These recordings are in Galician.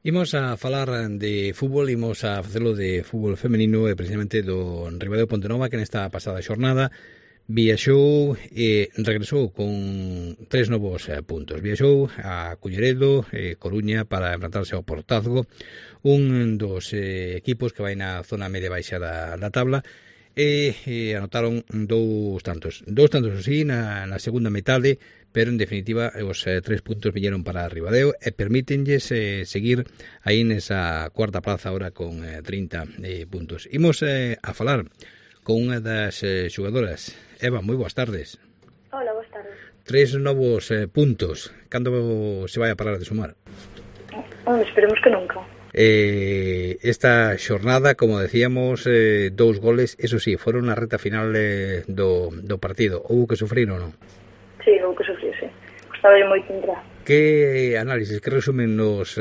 Imos a falar de fútbol, imos a facelo de fútbol femenino e precisamente do Ribadeo Pontenova, que nesta pasada xornada viaxou e regresou con 3 novos puntos. Viaxou a Culleredo, Coruña, para enfrentarse ao Portazgo, un dos equipos que vai na zona media baixa da tabla, e anotaron dous tantos así na segunda metade, pero en definitiva os 3 puntos viñeron para Ribadeo e permítenlles seguir aí nesa cuarta plaza ahora con 30 puntos. Imos a falar con unha das xogadoras. Eva, moi boas tardes. Hola, boas tardes. 3 novos puntos. Cando se vai a parar de sumar? Esperemos que nunca. Esta xornada, como decíamos, 2 goles, eso sí, foron na reta final do partido. Houbo que sufrir ou non? Sí, houbo que sufrir, sí. Gostaba moito entrar. Que análisis, que resumen nos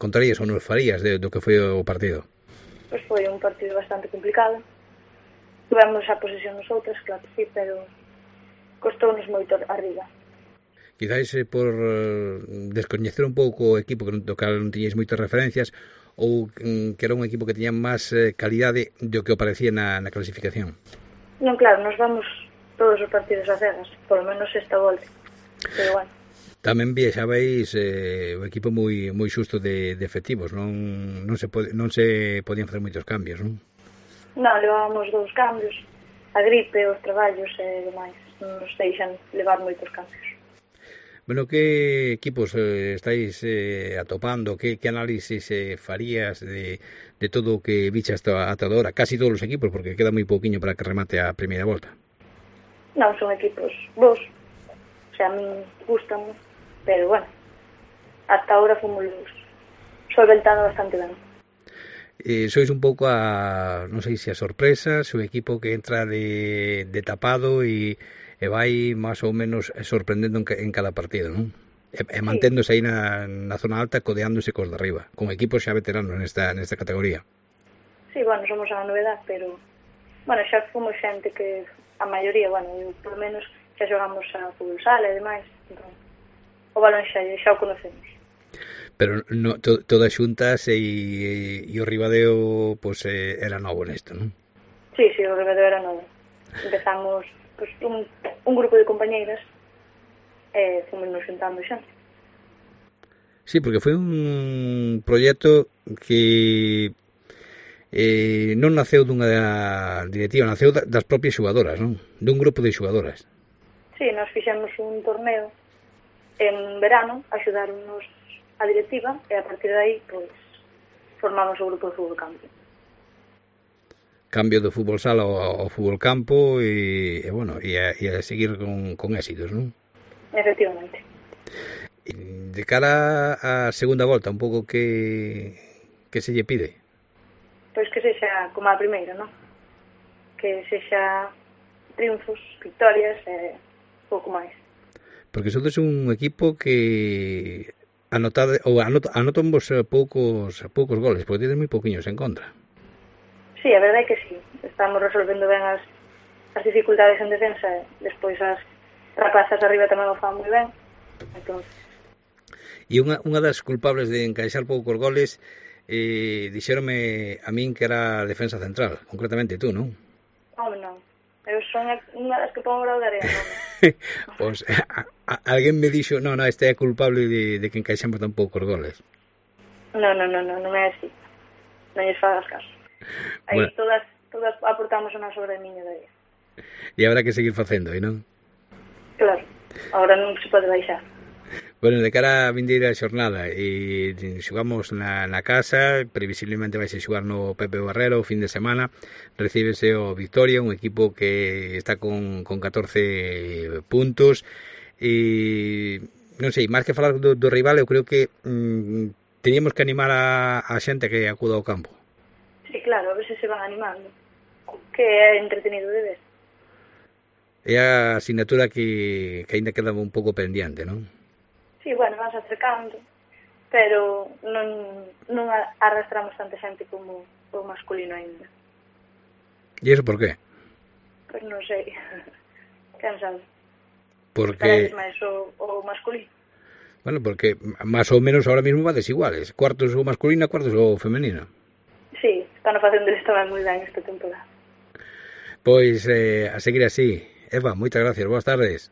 contarías ou nos farías do que foi o partido? Pois foi un partido bastante complicado. Tivemos a posesión nosotras, claro que sí, pero costounos moito arriba. Quizáis por descoñecer un pouco o equipo do cal non tiñeis moitas referencias, ou que era un equipo que tiña máis calidade do que o parecía na clasificación? Non, claro, nos vamos todos os partidos a cegas, por lo menos esta volta, pero bueno. Tamén viaxabais o equipo moi xusto de efectivos, non se podían facer moitos cambios, non? Non, levábamos 2 cambios, a gripe, os traballos e demais, non nos deixan levar moitos cambios. Bueno, que equipos estáis atopando? Que análisis farías de todo o que viches ata agora? Casi todos os equipos, porque queda moi pouquiño para que remate a primeira volta. Non, son equipos bons. O sea, a mí gustan, pero bueno, hasta ahora fomos solventando bastante ben. Sois un pouco non sei se a sorpresa, o equipo que entra de tapado e vai máis ou menos sorprendendo en cada partido, non? E manténdose aí na zona alta, codeándose cos de arriba, con equipos xa veteranos nesta categoría. Sí, bueno, somos a novedad, pero bueno, xa fomos xente que a maioría, bueno, por lo menos xa xogamos a fútbol sala e demais, entón, o balón xa o conocemos. Pero no, todas xuntas e o Ribadeo pues, era novo nesto, non? Sí, o Ribadeo era novo. Empezamos pues, un grupo de compañeiras e fomos nos xuntando xa. Sí, porque foi un proxecto que non naceu dunha directiva, naceu das propias xogadoras, non? Dun grupo de xogadoras. Sí, nos fixemos un torneo en verano, axudaronnos a directiva e a partir de aí pois formamos o grupo de fútbol campo. Cambio do fútbol sala ao fútbol campo e bueno, e a seguir con éxitos, non? Efectivamente. De cara á segunda volta, un pouco que se lle pide? Pois que sexa como a primeira, non? Que sexa triunfos, victorias e pouco máis. Porque sodes un equipo que anotan vos poucos goles, porque tedes moi pouquiños en contra. Sí, a verdade é que sí. Estamos resolvendo ben as dificultades en defensa e despois as rapazas arriba tamén o fan moi ben. Entón... E unha das culpables de encaixar poucos goles dixéronme a min que era a defensa central, concretamente tú, non? Home, non. Eu son unha das que pon o grau de arena, non? Pois alguén me dixo, non, este é culpable de que encaixamos tan poucos goles. Non é así. Non lles fagas caso. Aí bueno, todas aportamos unha sobremiña de aí. E habrá que seguir facendo, non? Claro, agora non se pode baixar. Bueno, de cara a vindeira xornada e xugamos na casa, previsiblemente vai se xugar no Pepe Barrero o fin de semana, recíbese o Victoria, un equipo que está con 14 puntos e non sei, máis que falar do rival, eu creo que teníamos que animar a xente que acuda ao campo. Sí, claro, a ver se van animando, que é entretenido de ver. É a asignatura que ainda queda un pouco pendiente, non? Sí, bueno, vas acercando, pero non arrastramos tanta xente como o masculino ainda. E iso por qué? Pois non sei, quen sabe. Porque... máis o masculino. Bueno, porque más ou menos ahora mismo va desiguales. Cuartos o masculino, cuartos o femenino. Sí, están facendo eles tamén moi ben esta temporada. Pois a seguir así. Eva, moitas gracias, boas tardes.